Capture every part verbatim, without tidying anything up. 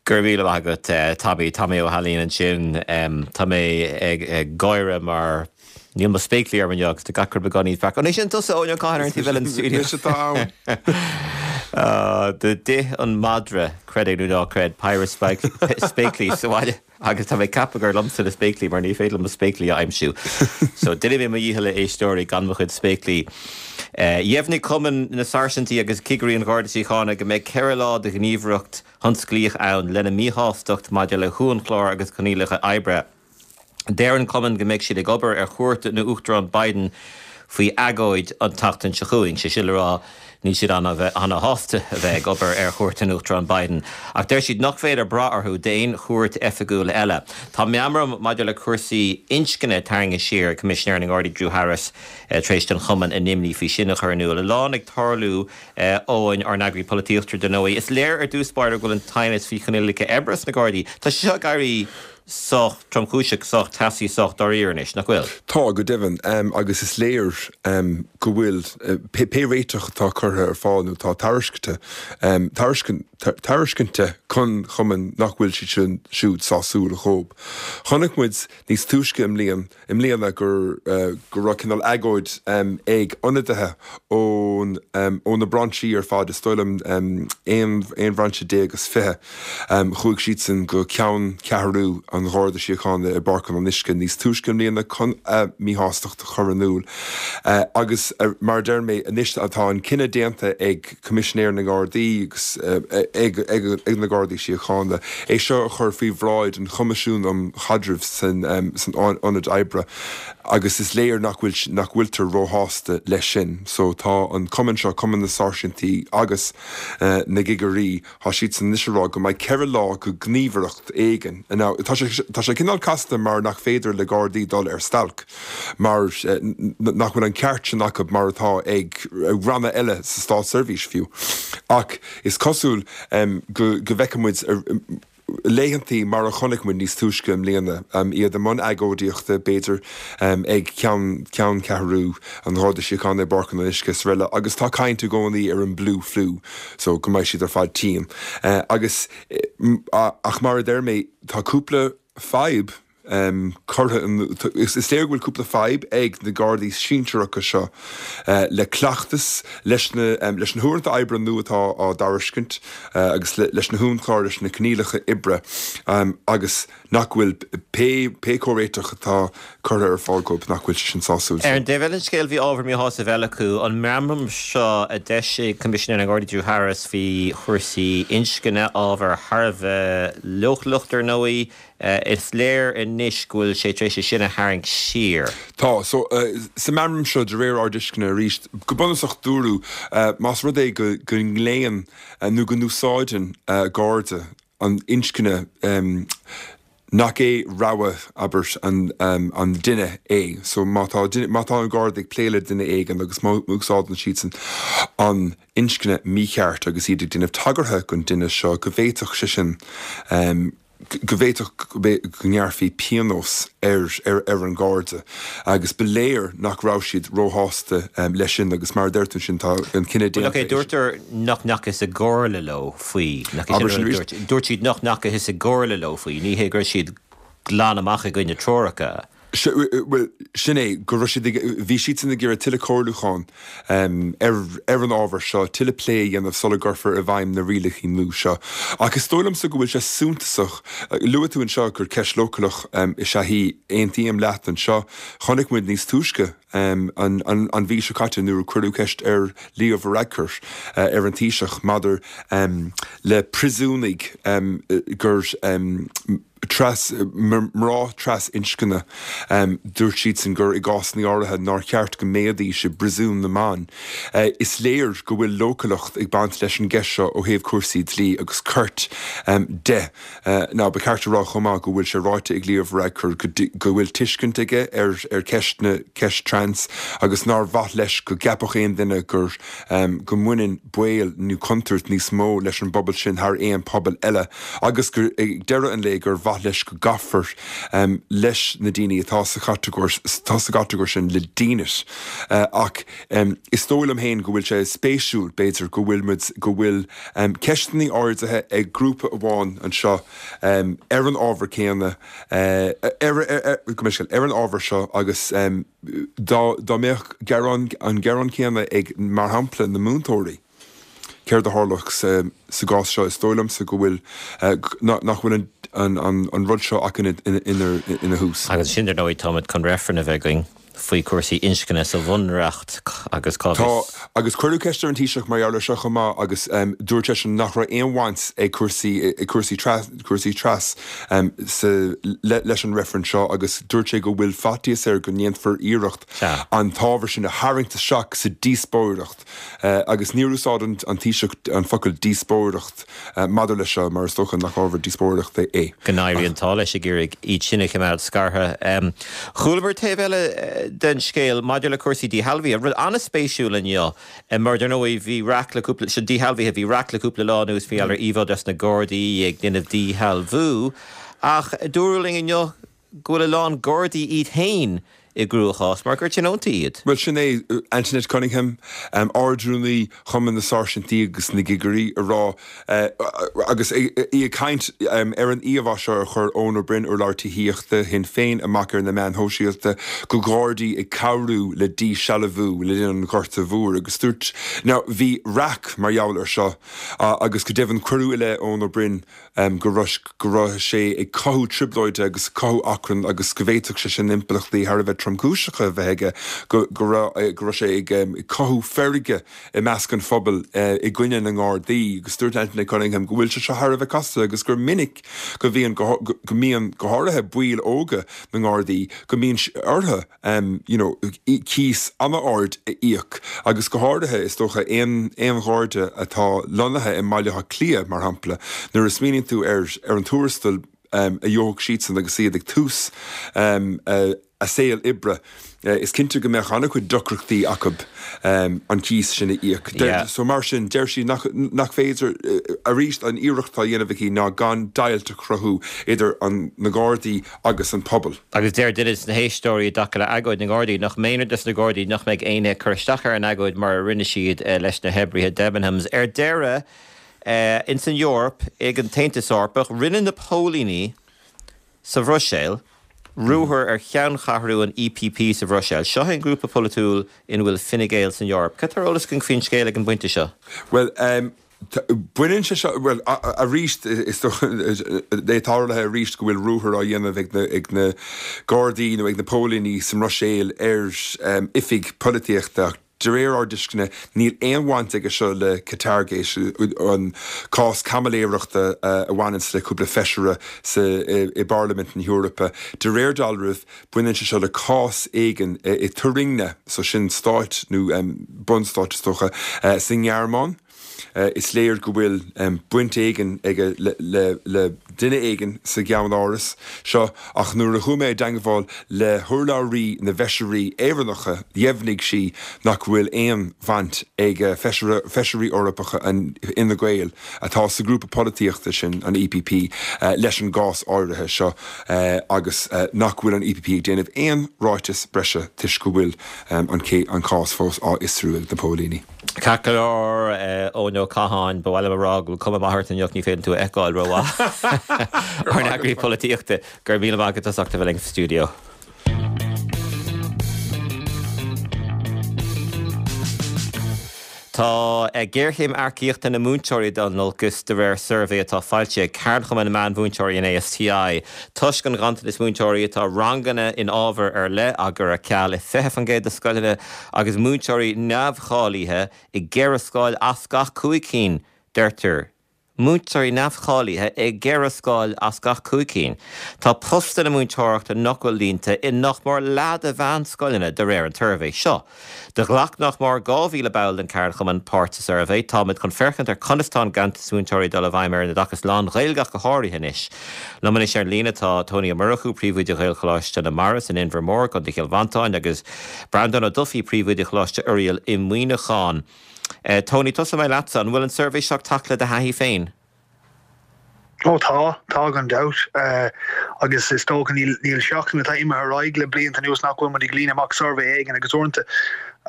Gur mhíle agat Tommy Tommy Ó hAilín ansin tá mé ag gáire mar níl mo spéaclaí ar inniu agus tá gach rud beagáinín breac. An é sin tusa ó cá ar an taobh eile den studio. D'ith an madra creid é nó ná creid péire spéaclaí sa bhaile agus tá mé ag ceapadh gur liomsa na spéaclaí mar ní féidir mo spéaclaí a aimsiú. So déanfaidh mé mo dhícheall a éisteoirí gan mo chuid spéaclaí. Dheimhnigh Cumann na Sáirsintí agus Cigirí an Gharda Síochána go mbeidh ceithre lá de ghníomhaireacht thionsclaíoch ann lena míshástacht maidir le huainchlár agus coinníollacha oibre. Deir an cumann go mbeidh siad ag obair ar chuairt an Uachtaráin Biden faoi agóid an tseachtain seo chugainn sé sin le rá níl siad an-shásta a bheith ag obair ar chuairt an Uachtaráin Biden, ach deir siad nach féidir brath orthu d'aon chuairt oifigiúil eile. Tá meamram maidir le cúrsaí inscne tarraingthe siar Coimisinéir na nGardaí Drew Harris tar éis don chumann a n-imní faoi sin a chur in iúl. A lán ag tarlú Eoin ár n-eagraí polaitíochta dar ndóigh. Is léir ar dtús báire go bhfuil an teannas faoi choinníollacha oibre sna Gardaí. Tá sé seo ag éirí sách tromchúiseach sách teasaí sách dáiríre anois nach bhfuil. Tá go deimhin agus is léir go bhfuil pé réiteach atá curtha ar fáil nó tá tairiscinte tairiscinte chun chumann nach bhfuil siad sin siúd sásúil dhóibh. Chonaic muid níos túisce i mbliain i mbliana gur go raibh cineál agóid ag ionadaithe ón ó na brainsí ar fad is dóigh liom aon aon bhrainse déag agus fiche chuaigh siad sin go ceanncheathrú an Gharda Síochána i bPáirc an Fhionnuisce níos túisce i mbliana chun a míshástacht a chur in iúl. Agus mar deir mé anois atá an cinneadh déanta ag Coimisinéir na nGardaí agus ag ag na Gardaí Síochána é seo a chur faoi bhráid an Choimisiún um Chaidreamh san san ionad oibre agus is léir nach bhfuil nach bhfuiltear róshásta leis sin. So tá an cumann seo cumann na sáirsintí agus uh, na gcigirí tá siad san anois ag rá go mbeidh ceithre lá go gníomhaireacht éigin. Now, tá sé tá sé cineál casta mar nach féidir le Gardaí dul ar stailc mar uh, nach bhfuil an ceart sin acu mar atá ag ranna eile sa státseirbhís fiú. Ach is cosúil um, go, go bhfeicfimid laethantaí mar a chonaic muid níos túisce i mbliana um, iad i mbun agóidíochta b'fhéidir um, ag ceann ceanncheathrú an Gharda Síochána i bPáirc an Fhionnuisce is araile agus tá caint i gcónaí ar an blue flu so go mbeidh siad ar fad tinn. Uh, agus ach mar a deir mé tá cúpla fadhb um, curtha is, is léir go bhfuil cúpla fadhb ag na Gardaí sinsearacha seo uh, le cleachtas leis na, um, leis na huaireanta oibre nua atá á dtairiscint uh, agus le, leis na huainchlár leis na coinníollacha oibre um, agus nach bhfuil pé pé comhréiteach atá curtha ar fáil dóibh nach bhfuil sin sásúil. Ar an dtaobh eile den scéal bhí ábhar míshásaimh eile acu an meamram seo a d'eisigh Coimisinéir na nGardaí Drew Harris faoi chúrsaí inscne ábhar thar a bheith leochaileach ar ndóigh is léir anois go bhfuil sé tar éis sin a tharraingt siar. Tá so uh, sa meamram seo de réir ár dtuisceana arís go bunúsach dúradh uh, más rud é go go nglaonn uh, nó go n-úsáideann uh, Garda an inscne um, nach é rogha abair an, um, an duine é. So má tá má tá an Garda ag plé le duine éigin agus má úsáideann siad sin an inscne mícheart agus iad ag déanamh tagartha don duine seo go bhféadfadh sé sin um, go bhféadfadh go ngearrfaí pionós ar ar ar an Garda agus ba léir nach raibh siad róshásta um, leis sin agus mar deirtear sin tá an cinneadh okay, dúirtar nach ndeachthas i gcomhairle leo faoi dúirt siad nach ndeachthas i gcomhairle leo faoi ní hé gur siad glan amach i gcoinne treoracha. Well sin é go raibh siad bhí siad san ag iarraidh tuilleadh comhairliúchán um, ar ar an ábhar seo tuilleadh plé a dhéanamh sula gcuirfear i bhfeidhm na rialacha nua seo. Ach is dóigh liomsa go bhfuil sé suntasach luaigh tú anseo gur ceist leochaileach um, is ea í aontaím leat anseo chonaic muid níos túisce um, an, an, an mhí seo caite nuair a cuireadh ceist ar Leo Varadkar uh, ar an Taoiseach maidir um, le príosúnaigh um, gur um, tras mná trasinscne um, dúirt siad sin gur i gcás áirithe nár cheart go mbeidís i bpríosún na mban. Uh, is léir go bhfuil leochaileacht ag baint leis an gceist seo ó thaobh cúrsaí dlí agus cirt um, de. Uh, ná ba cheart a rá chomh maith go bhfuil sé ráite ag Leo Varadkar go, go bhfuil tuiscint aige ar ar ceist na ceist trans agus nár mhaith leis go gceapfadh aon duine gur um, go mbaineann baol nó contúirt níos mó leis an bpobal sin thar aon pobal eile agus gur ag deireadh an lae gur mhaith mhaith leis go gcaithfear leis na daoine atá sa chatagóir atá sa gcatagóir sin le dínit. Ach is dóigh liom féin go bhfuil sé spéisiúil, b'fhéidir, go bhfuil muid, go bhfuil ceisteanna ardaithe ag grúpa amháin anseo ar an ábhar céanna, ar, ar an ábhar seo agus dá, dá mbeadh gearán, an gearán céanna ag, mar shampla, na múinteoirí, céard a tharlódh sa, sa gcás seo? Is dóigh liomsa go bhfuil, nach bhfuil an, an, an rud seo ach ina, ina, ina thús. Agus sin, dar ndóigh, táimid chun reifreann a bheith againn faoi chúrsaí inscne sa Bhunreacht agus cá bhfios. Tá, agus cuireadh ceist ar an Taoiseach mar gheall air seo chomh maith agus dúirt seisean nach raibh aon bhaint ag cúrsaí, ag cúrsaí tras, cúrsaí tras sa, le, leis an reifreann seo agus dúirt sé go bhfuil faitíos air go ndéanfar iarracht an t-ábhar sin a tharraingt isteach sa díospóireacht agus níor úsáid an, an Taoiseach an focal díospóireacht maidir leis seo mar is dócha nach ábhar díospóireachta é. Go n-éirí an t-ádh leis ag iarraidh iad sin a choimeád scartha. Chualamar taobh eile den scéal maidir le cúrsaí díshealbhaithe, rud an-spéisiúil inniu, mar dar ndóigh bhí raic le cúpla, sin díshealbhaithe, bhí raic le cúpla lá anuas faoi ar íomhá des na Gardaí ag déanamh díshealbhú, ach dúradh linn inniu go bhfuil a lán Gardaí iad féin i gcruachás mar gur tionóntaí iad. Bhuel, sin é Antoinette Cunningham, Ard-Rúnaí Chumann na Sáirsintí agus na gCigirí, ag rá, agus í ag caint ar an íomhá seo a chuir Eoin Ó Broin, urlabhraí tithíochta Shinn Féin, amach ar na meáin shóisialta, de Ghardaí ag cabhrú le díshealbhú le linn an Ghorta Mhóir agus dúirt, now bhí raic mar gheall air seo agus go deimhin cuireadh i leith Eoin Ó Broin go raibh go raibh sé ag cothú trioblóide agus ag cothú achrainn agus go bhféadfadh sé sin impleachtaí thar a bheith tromchúiseacha a bheith aige, go go raibh go raibh sé ag cothú feirge i measc an phobail i gcoinne na nGardaí. Agus dúirt Antoinette Cunningham go bhfuil sé seo thar a bheith casta agus gur minic go bhíonn go go mbíonn go háirithe baill óga na nGardaí go mbíonn orthu you know cíos an-ard a íoc agus go háirithe is dócha aon aon Gharda atá lonnaithe i mBaile Átha Cliath mar shampla nuair a smaoiníonn tú ar ar an tuarastal a gheobhadh siadsan agus iad ag tús a saol oibre, is cinnte go mbeadh an-chuid deacrachtaí acu an cíos sin a íoc. So mar sin, deir sí nach nach féidir, arís an iarracht atá á dhéanamh aici ná gan deighilt a chruthú idir an na Gardaí agus an pobal. Agus deir duine de na héisteoirí i dtaca le agóid na nGardaí nach méanar dos na Gardaí nach mbeidh éinne ag cur isteach ar an agóid mar a rinne siad leis na hoibrithe Debenhams. Ar deireadh, ins an Eoraip, ag an tAontas Eorpach, rinne na póilíní sa Bhruiséil ruathar ar cheanncheathrú an EPP sa Bhruiséil. Seo é an grúpa polaitiúil ina bhfuil Fine Gael san Eoraip. Cad tá ar eolas againn faoin scéal ag an bpointe seo? Bhuel, baineann sé seo, bhuel, arís, is dócha, é tarlaithe arís go bhfuil ruathar á dhéanamh ag na, ag na Gardaí nó ag na póilíní sa mBruiséil ar oifig polaitíochta ach de réir ár dtuisceana níl aon bhaint aige seo le Qatargate, an cás caimiléireachta a bhaineanns le cúpla feisire sa, i bParlaimint na hEorpa. De réir dealraimh baineann sé seo le cás éigin i Thuringia, so sin stát nó bunstát is dócha, sa nGearmáin. Is léir go bhfuil baint éigin aige le duine éigin sa gceannáras seo ach nuair a chuaigh mé i dteangmháil le hurlabhraí na bhfeisirí Éireannacha dheimhnigh sí nach bhfuil aon bhaint ag feisirí Eorpacha Fhine Gael atá sa ghrúpa polaitíochta sin, an EPP, leis an gcás áirithe seo agus nach bhfuil an EPP ag déanamh aon ráiteas breise toisc go bhfuil an cás fós á fhiosrú ag na póilíní. Ceart go leor, Eoin Ó Catháin, ba mhaith liom a rá go bhfuil cuma mhaith ort inniu, ní féidir tú a fheiceáil rómhaith. Ár n-eagraí polaitíochta, go raibh míle maith agat as ucht a bheith linn sa stiúideo. Tá géarchéim earcaíochta na múinteoirí ag dul in olcas, de réir suirbhé atá foilsithe ag Ceardchumann na Meánmhúinteoirí, an ASTI. Toisc an ghanntanais múinteoirí, tá ranganna in ábhair ar leith á gcur ar ceal i fiche faoin gcéad de scoileanna agus múinteoirí neamhcháilithe i gceithre scoil as gach cúig cinn, deirtear. Múinteoirí neamhcháilithe i gceithre scoil as gach cúig cinn. Tá postanna múinteoireachta nach bhfuil líonta i nach mór leath de mheánscoileanna, de réir an tsuirbhé seo. Do ghlac nach mór dhá mhíle ball den cheardchumann páirt sa suirbhé. Táimid chun féachaint ar conas tá an ganntanas múinteoirí ag dul i bhfeidhm ar an oideachas lán-Ghaeilge ach go háirithe anois. Liom anois ar líne tá Tony Ó Murchú, Príomhoide Ghaelcholáiste na Mara san Inbhear Mór, i gContae Chill Mhantáin agus Breandán Ó Dufaigh, Príomhoide Choláiste Oiriall i Muineachán. Tony, tosóidh mé leatsa. An bhfuil an suirbhé seo ag teacht le do thaithí féin? Ó tá tá gan dabht uh, agus is dócha níl níl seachtain atá imithe ar aghaidh le blianta anuas nach bhfuil muid ag líonadh amach suirbhé éigin agus uaireanta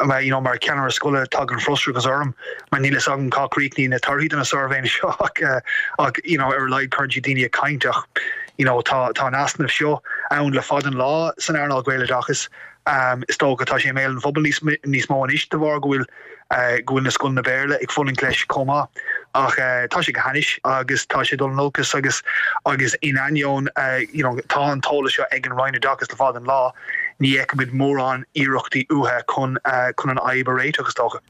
mar you know, mar ceannaire scoile tagann frustrachas orm mar níl a fhios agam cá gcríochnaíonn na torthaí de na suirbhéanna seo ach uh, ach you know, ar a laghad cuireann siad daoine ag caint ach you know, tá tá an easnamh seo ann le fada an lá san earnáil Gaeloideachais um, is dócha tá sé i mbéal an phobail níos níos mó anois de bharr go bhfuil uh, go bhfuil na scoileanna Béarla ag fulaingt leis chomh maith ach uh, tá sé go hainnis agus tá sé dul in olcas agus agus in ainneoin uh, you know, tá an t-eolas seo ag an Roinn Oideachais le fada an lá ní fheicimid mórán iarrachtaí uathu chun uh, chun an fhadhb a réiteach is dócha.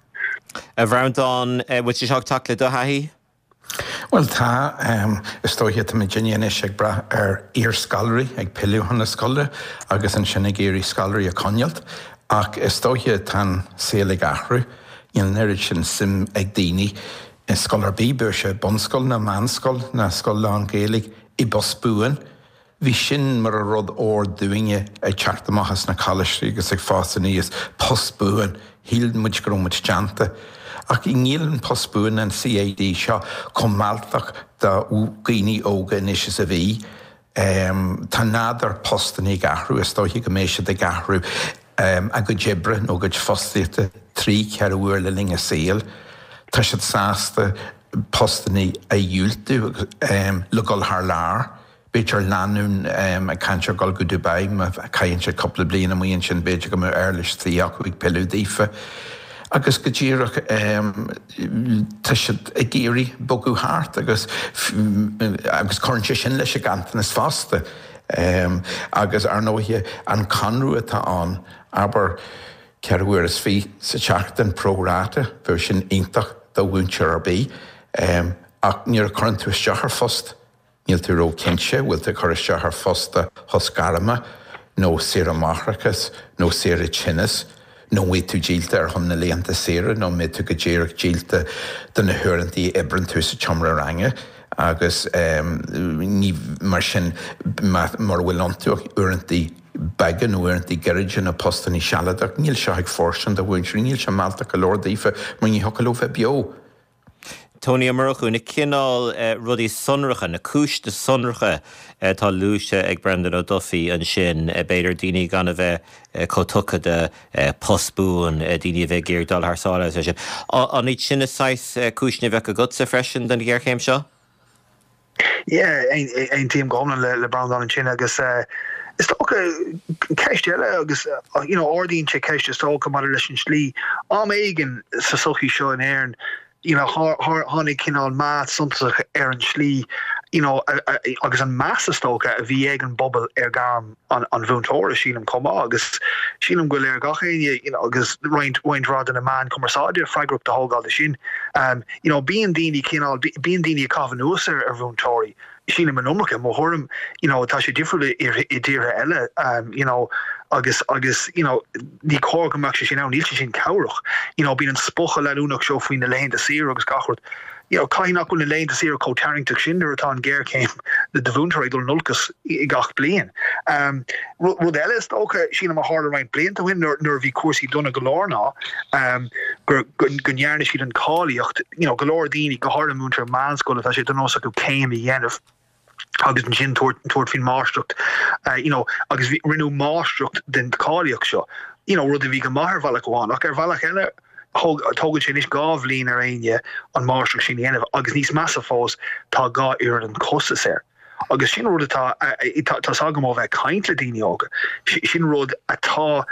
A Bhreandáin bhfuil sé seo ag teacht le do thaithí? Well tá um, is dóiche tá muidinne anois ag brath ar iarscoláirí ag pilleadh chun na scoile agus ansin ag iarraidh scoláirí a choinneáil ach is dóiche tá an saol ag athrú níl an oiread sin suim ag daoine i scoil ar bith bíodh sé bunscoil ná meánscoil ná scoil lán-Ghaeilge i bpost buan. Bhí sin mar a rud ór dúinne ag teacht amach as na coláistí agus ag fás aníos post buan, shíl muid go raibh muid déanta. Ach níl an post buan an CAD seo chomh mealltach do dhaoine óga anois is a bhí. Um, tá nádúr postanna ag athrú is dóiche go mbeidh siad ag athrú um, a gcuid oibre nó a gcuid fostaíochta trí ceithre huaire le linn a saoil. Tá siad sásta postanna a dhiúltú um, le dul thar lear. B'fhéidir lánúin um, ag caint ar dul go Dubai má chaitheann siad cúpla bliain amuigh ansin b'fhéidir go mbeadh uirlis tí acu ag pilleadh daofa. Agus go díreach um, tá siad ag iarraidh bogadh thart agus agus cuireann sé sin leis an nganntanas fosta. Um, agus ar ndóigh an conradh atá ann abair ceithre huaire is fiche sa tseachtain pro rata bheadh sin iontach do mhúinteoir ar bith um, ach nuair a chuireann tú isteach ar phost níl tú róchinnte bhfuil tú ag cur isteach ar phost do shos gairme nó saoire máithreachais nó saoire tinnis nó bhfuil tú díolta ar chun na laethanta saoire nó mbeidh tú go díreach díolta do na huaireanta a oibríonn tú sa tseomra ranga agus um, ní mar sin mar bhfuil iontu uaireanta beaga nó uaireanta gairide na postanna sealadach, níl seo ag fóirstean do mhúinteoirí, níl sé mealltach go leor daofa mar ní thiocfadh leo bheith beo. Tony Ó Murchú na cineál uh, rudaí sonracha na cúiseanna sonracha atá uh, luaite ag Brendan Ó Dufaigh ansin uh, b'fhéidir daoine gan a bheith uh, chomh tugtha do uh, post buan uh, daoine a bheith ag iarraidh dul thar sáile sin. An iad sin na saghas uh, cúiseanna a bheadh agatsa freisin don ghéarchéim seo? Yeah, aontaím go hiomlán le le Breandán ansin agus uh, is dócha ceist eile agus uh, you know ardaíonn sé ceist is dócha maidir leis an slí am éigin sa sochaí seo in Éirinn you know tháinig cineál meath suntasach ar an slí you know agus an meas is dócha a bhí ag an bpobal ar ghairm an, an mhúinteora sílim chomh maith agus sílim go léir gach éinne you know, agus roinnt roinnt rud na meáin chumarsáide freagrach a thógáil de sin um, you know, bíonn daoine cineál bíonn daoine ag caitheamh anuas ar ar mhúinteoirí sílim an iomarca mo thuairim you know, tá sé difriúil i dtíortha eile um, you know, agus agus you know, ní cóir go mbeadh sé sin ann níl sé sin cabhrach you know, bíonn an spochadh leanúnach seo faoi na laethanta saoire agus gach rud. You know, caithfidh nach bhfuil na laethanta saoire chomh tarraingteach sin nuair atá an ghéarchéim na do mhúinteoirí dul in olcas i gach bliain. Um, rud eile is dócha sílim a tharla roinnt blianta ó shin nuair a bhí cúrsaí dona go leor ná um, go ndearna siad an cáilíocht you know, go leor daoine go háirithe múinteoirí meánscoile tá sé de nós acu céim a dhéanamh agus ansin tabhairt faoin máistreacht uh, you know, agus rinneadh máistreacht den cáilíocht seo you know, rud a bhí go maith ar bhealach amháin ach ar bhealach eile tógann sé anois dhá bhliain ar éinne an máistreacht sin a dhéanamh agus níos measa fós tá dhá oiread an costas air. Agus sin rud atá tá agam ó bheith ag caint le daoine óga. Sin rud atá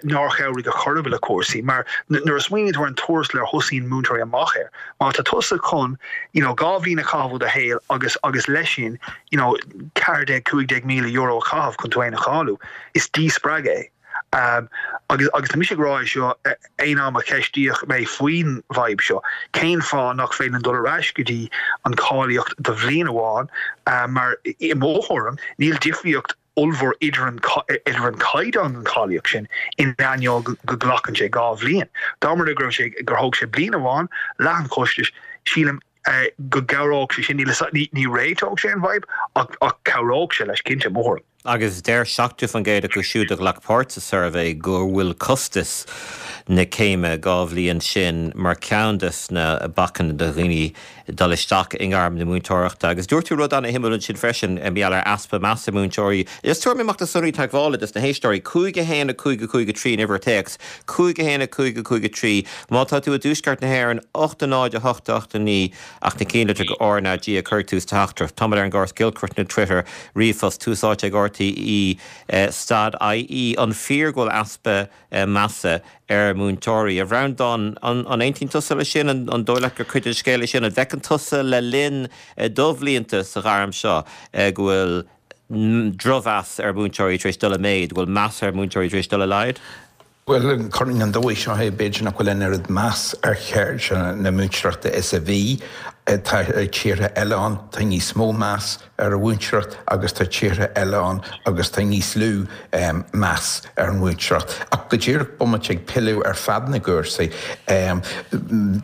nár chabhraigh go chorab le cúrsaí, mar nuair a smaoiníonn tú ar an tuarastal ar thosaíonn múinteoirí amach air. Má tá tusa chun you know, dhá bhliain a chaitheamh do shaol agus agus leis sin you know, ceathair déag cúig déag míle euro a chaitheamh chun tú féin a cháiliú, is díspreagadh é. Um, agus agus tá mise ag rá seo aon am a ceistíodh mé faoin bhfadhb seo. Cén fáth nach féidir dul ar ais go dtí an cáilíocht do bhliain amháin uh, mar i mo thuairim níl difríocht ollmhór idir an idir an caighdeán an cháilíocht sin in ainneoin go nglacann sé dhá bhliain. Dá mba go sé gur thóg sé bliain amháin leath an chostais sílim uh, go gcabhródh sé sin ní ní réiteodh sé an bhfadhb ach ach cabhródh sé leis cinnte mór. Agus deir seachtó faoin gcéad acu siúd a ghlac páirt sa suirbhé go bhfuil costas na céime dhá bhliain sin mar cheann de na bacanna do dhaoine dul isteach i ngairm na múinteoireachta. Agus dúirt tú rud an-shuimiúil ansin freisin mar gheall ar easpa measa múinteoirí. Is tabharfaidh mé amach na sonraí teagmhála dos na héisteoirí cúig a haon a cúig a cúig a trí an uimhir téacs, cúig a haon a cúig a cúig a trí. Má tá tú i dtuaisceart na hÉireann, ocht a náid a hocht a hocht a naoi ach na cinnlitreacha R ná G a chur tús teachtaireacht. Táimid ar an gcóras giolcaireachta nó Twitter, ríomhphost, tús áite ag RTÉ stad IE. An fíor go bhfuil easpa measa ar mhúinteoirí? A Bhreandáin, an aontaíonn tusa leis sin? An dóigh leat gur cuid den scéal é sin? An bhfeiceann tusa le linn do bhlianta sa ghairm seo go bhfuil drochmheas ar mhúinteoirí tar éis dul i méid, go bhfuil meas ar mhúinteoirí tar éis dul i laghad? Bhuel, cuireann an dóigh seo é, b'fhéidir nach bhfuil an oiread meas ar cheird na múinteoireachta is a bhí. Tá tíortha eile ann, tá níos mó meas ar an mhúinteoireacht agus tá tíortha eile ann agus tá níos lú meas ar an mhúinteoireacht. Ach go díreach bomaite ag pilleadh ar fad na gcúrsaí,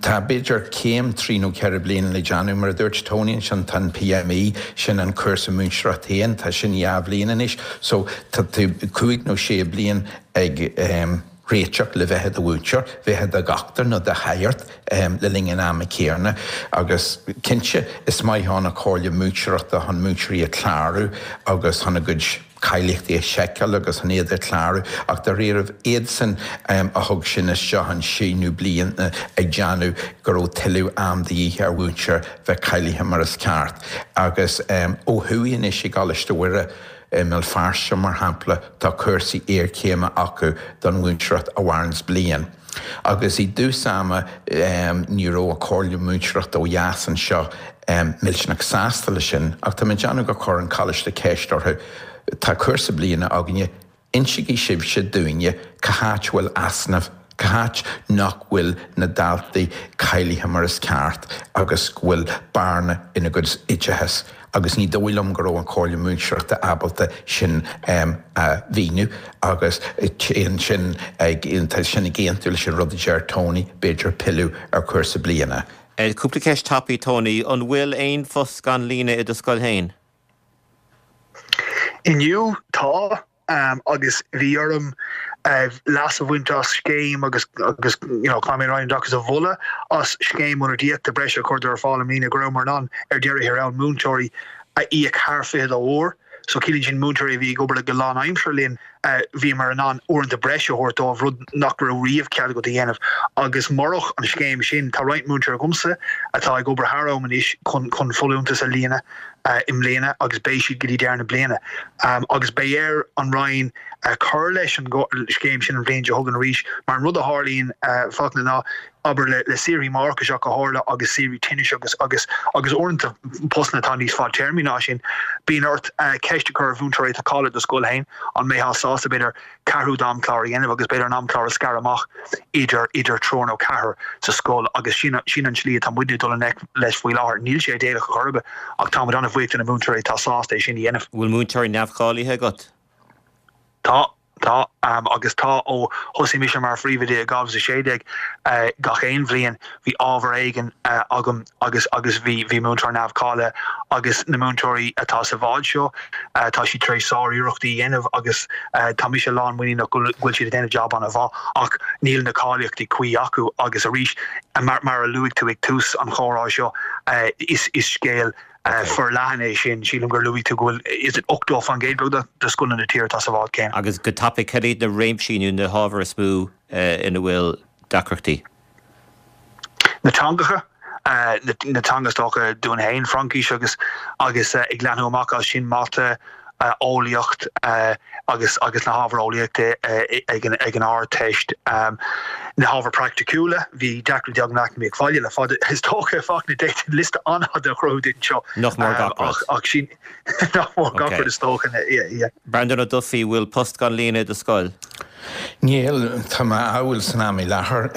tá b'fhéidir céim trí nó ceithre bliana le déanamh, mar a dúirt Tony ansin, tá an PME, sin an cúrsa múinteoireachta féin, tá sin dhá bhliain anois, so tá tú cúig nó sé bliain ag réiteach le bheith i do mhúinteoir, bheith i do dhochtúir nó do shagart le linn an ama céanna. Agus cinnte, is maith ann an Chomhairle Múinteoireachta chun múinteoirí a chlárú agus chun a gcuid cáilíochtaí a sheiceáil agus chun iad a chlárú, ach dáiríribh, iadsan a thug sin isteach an síneadh bliana ag déanamh go raibh tuilleadh am de dhíth ar mhúinteoir bheith cáilithe mar is ceart. Agus ó thuaidh anois i gColáiste Mhuire, I mBéal Feirste, mar shampla, tá cúrsaí iarchéime acu don mhúinteoireacht a mhaireanns bliain. Agus i dtús ama ní raibh an Chomhairle Múinteoireachta ó dheas anseo millteanach sásta leis sin, ach tá mé ag déanamh gur chuir an coláiste ceist orthu, tá cúrsa bliana againne, Insígí sibhse dúinne cá háit a bhfuil easnamh, cá háit nach bhfuil na daltaí cáilithe mar is ceart agus go bhfuil bearna ina gcuid oideachais agus ní dóigh liom go raibh an Chomhairle Múinteoireachta ábalta sin a mhíniú agus téann sin ag, tá sin ag aontú leis an rud a deir Tony, b'fhéidir pilleadh ar chúrsa bliana. Cúpla ceist tapaidh, Tony, an bhfuil aon phost gan líonadh i do scoil féin? Inniu, tá, agus bhí orm leas a bhaint as scéim agus agus you know caithfidh mé an Roinn Oideachais a mholadh as scéim ionadaíochta breise a chuireadar ar fáil i mbliana go rabhamar in ann ar deireadh thiar thall múinteoirí a íoc thar fiche dó uair. So ciallaíonn sin múinteoirí a bhí ag obair go lánaimseartha linn, bhíomar in ann uaireanta breise a thabhairt dóibh, rud nach raibh riamh cead agat a dhéanamh. Agus murach an scéim sin, tá roinnt múinteoirí agamsa atá ag obair thar am anois chun chun folúntas a líonadh i mbliana agus beidh siad go dtí deireadh na bliana. Agus beidh ar an Roinn cur leis an scéim sin an bhliain seo chugainn arís mar an rud a tharlaíonn, Fachtna, ná abair le le saoirí máithreachais ach go háirithe agus saoirí tinnis agus agus agus uaireanta postanna atá níos fadtéarmaí ná sin, bíonn ort ceist a chur ar mhúinteoirí atá cáilithe do scoil féin an mbeifeá sásta b'fhéidir ceathrú d'amchlár a dhéanamh agus b'fhéidir an amchlár a scaradh amach idir idir triúr nó ceathrar sa scoil agus sin sin an tslí atá muidne ag dul i ngleic leis faoi láthair. Níl sé idéalach ar chor ar bith ach táimid an-bhuíoch de na múinteoirí atá sásta é sin a dhéanamh. Bhfuil múinteoirí neamhcháilithe agat? Tá. Tá, agus tá ó thosaigh mise mar phríomhoide i dhá mhíle is a sé déag, gach aon bhliain bhí ábhar éigin agam agus agus bhí bhí múinteoir neamhcháilithe agus na múinteoirí atá sa bhád seo, tá siad tar éis sár-iarrachtaí a dhéanamh agus tá mise lánmhuiníneach go bhfuil siad ag déanamh jab an-mhaith ach níl na cáilíochtaí cuí acu agus arís mar mar a luaigh tú ag tús an chomhrá seo is is scéal forleathan é sin. Sílim gur luaigh tú go bhfuil, is it ochtó faoin gcéad beagnach de scoileanna na tíre atá sa bhád céanna. Agus go tapaidh, cad iad na réimsí nó na hábhair is mó ina bhfuil deacrachtaí? Na teangacha, na teanga is dócha dúinn féin, Fraincis agus agus ag leathnú amach as sin, Mata, eolaíocht agus agus na hábhair eolaíochta ag an ag an Ardteist. Na hábhair praiticiúla, bhí deacrachtaí agam le eacnamaíocht bhaile le fada is dócha, Fachtna, d'fhéadfainn liosta an-fhada a chruthú duit anseo. Nach mór gach rud. Ach sin, nach mór gach rud is dócha, yeah, yeah. Breandán Ó Dufaigh, bhfuil post gan líonadh i do scoil? Níl, tá mé á bhfuil san am i láthair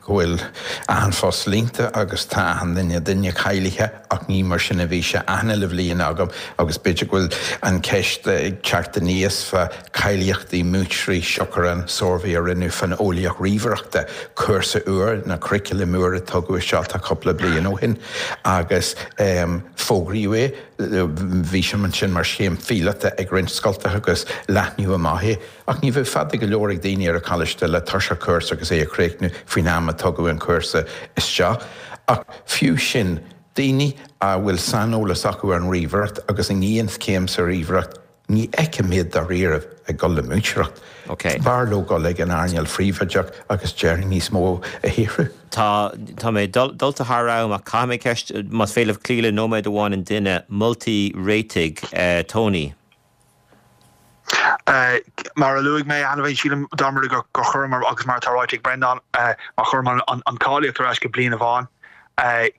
go bhfuil achan phost líonta agus tá achan duine duine cáilithe ach ní mar sin a bhí sé achan uile bhliain agam agus b'fhéidir go bhfuil an ceist ag teacht aníos fá cáilíochtaí múinteoirí siocair an suirbhé a rinneadh fán eolaíocht ríomhaireachta, cúrsa úr nó curriculum úr a tugadh isteach tá cúpla bliain ó shin agus fógraíodh é. Bhí sé ansin mar scéim phíolóta ag roinnt scoltacha agus leathnaíodh amach é, ach ní bheadh fada go leor ag daoine ar an choláiste le toiseacht cúrsa agus é a chríochnú faoin am a tugadh an cúrsa isteach. Ach fiú sin, daoine a bhfuil saineolas acu ar an ríomhaireacht agus an chéim sa ríomhaireacht, ní fheicim iad dáiríribh ag dul le múinteoireacht. B'fhearr leo dul ag an earnáil phríobháideach agus déarfainn níos mó a shaothrú. Tá, tá mé dulta thar am ach caithfidh mé ceist, más féidir libh cloí le nóiméad amháin an duine, moltaí réitigh, Tony. Mar a luaigh mé cheana féin, sílim dá mba rud é gur chuireamar, agus mar atá ráite ag Breandán, má chuireamar an cháilíocht ar ais go bliain amháin,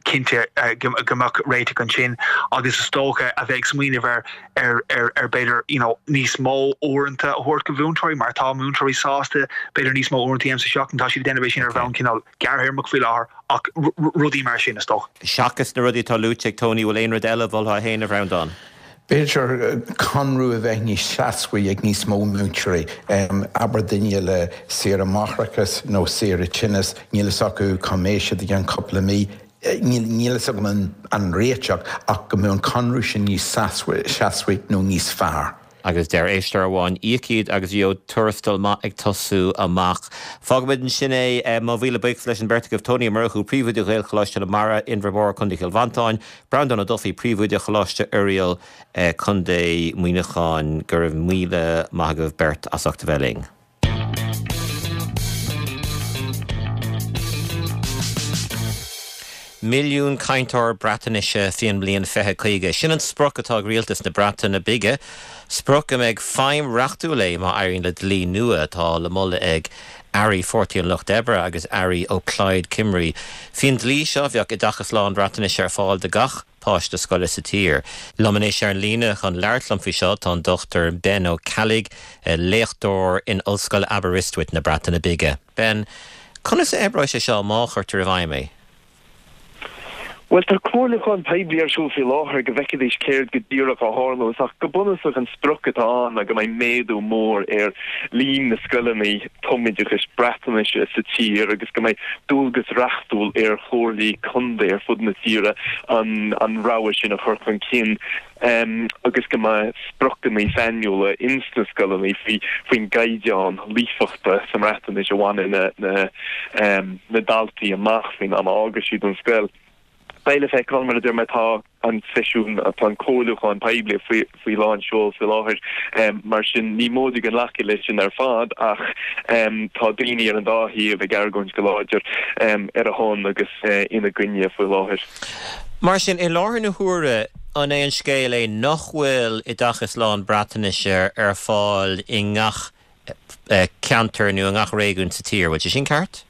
cinnte go mbeadh réiteach ansin agus is dócha a bheith ag smaoineamh ar ar ar ar b'fhéidir you know níos mó uaireanta a thabhairt do mhúinteoirí mar tá múinteoirí sásta b'fhéidir níos mó uaireanta a dhéanamh sa seachtain, tá siad ag déanamh é sin ar bhonn cineál gearrthéarmach faoi láthair ach rudaí mar sin is dócha. Seachas na rudaí atá luaite ag Tony, bhfuil aon rud eile a mholfá féin, a Bhreandáin? B'fhéidir conradh a bheith níos seasmhaí ag níos mó múinteoirí, abair duine le saoire máithreachais nó saoire tinnis, níl fhios acu cá mbeidh siad i gceann cúpla mí, níl fhios agam an réiteach ach go mbeadh an conradh sin níos seasmhaí nó níos fearr. Agus deir éisteoir amháin, íoc iad agus gheobhaidh tuarastal maith ag tosú amach. Fágfaimid ansin é. Mo mhíle buíochas leis an bheirt agaibh, Tony Ó Murchú, Príomhoide Ghaelcholáiste na Mara, Inbhear Mór, Contae Chill Mhantáin, Breandán Ó Dufaigh, Príomhoide Choláiste Oiriall, Contae Mhuineacháin. Go raibh míle maith agaibh beirt as ucht a bheith linn. Milliún cainteoir Breatnaise faoin mbliain fiche caoga. Sin an sprioc atá ag rialtas na Breataine Bige, sprioc a mbeidh feidhm reachtúil léi má éiríonn le dlí nua atá le moladh ag airí Pháirtí an Lucht Oibre agus airí ó Plaid Cymru. Faoin dlí seo bheadh oideachas lán-Bhreatnaise ar fáil do gach páiste scoile sa tír. Liom anois ar an líne chun labhairt liom faoi seo tá an Dochtúir Ben Ó Ceallaigh, léachtóir in Ollscoil Aberystwyth na Breataine Bige. Ben, conas a oibreoidh sé seo má chuirtear i bhfeidhm é? Bhuel, tá comhairliúchán poiblí ar siúl faoi láthair go bhfeicfidís céard go díreach a tharlós, ach go bunúsach an sprioc atá ann ná go mbeidh méadú mór ar líon na scoileanna tumoideachais Breatnaise sa tír agus go mbeidh dualgas reachtúil ar chomhairlí contae ar fud na tíre an an rogha sin a chur chun cinn agus go mbeidh spriocanna sainiúla ins na scoileanna faoi faoin gcaighdeán líofachta sa mBreatnais a bhainfidh na na daltaí amach faoin am a fhágfaidh siad an scoil. Beidh le feiceáil, mar a deir mé, tá an seisiún, tá an comhairliúchán poiblí faoi faoi lán seoil faoi láthair, mar sin ní móide go nglacfaidh leis sin ar fad ach tá daoine ar an dá thaobh ag argóint go láidir ar a shon agus ina gcoinne faoi láthair. Mar sin, i láthair na huaire, an é an scéal é nach bhfuil oideachas lán-Bhreatnaise ar fáil i ngach ceantar nó i ngach réigiún sa tír? Bhfuil sé sin ceart?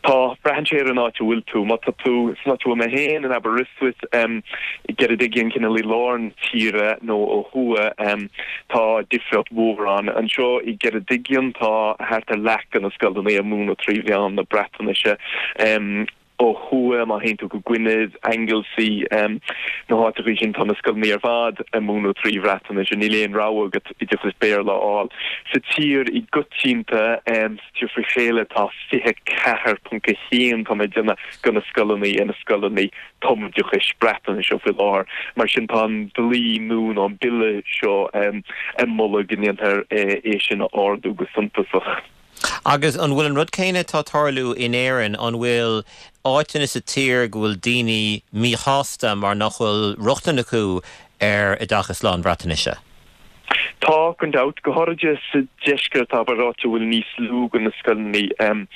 Tá, braitheann sé ar an áit a bhfuil tú. Má tá tú san áit a bhfuil mé féin, in Aberystwyth, i gCeredigion, cineál i lár na tíre nó ó thuaidh, tá difríocht mhór ann. Anseo i gCeredigion tá thart ar leath de na scoileanna ag múineadh trí mheán na Breatnaise. Ó thuaidh, má théann tú go Gwynedd, Anglesey, na háiteachaí sin, tá na scoileanna ar fad ag múineadh trí Bhreatnais, níl aon rogha agat oideachas Béarla a fháil. Sa tír i gcoitianta, sa tír fré chéile, tá fiche ceathair ponc a haon, tá mé ag déanamh, de na scoileanna ina scoileanna tumoideachais Breatnaise faoi láthair. Mar sin, tá an dlí nua nó an bille seo ag moladh go ndéanfar é sin a ardú go suntasach. Agus an bhfuil an rud céanna atá ag tarlú in Éirinn, an bhfuil áiteanna sa tír go bhfuil daoine míshásta mar nach bhfuil rochtain acu ar oideachas lán-Bhreatnaise? Tá, gan dabht, go háirithe sa deisceart, abair, áit a bhfuil níos lú de na scoileanna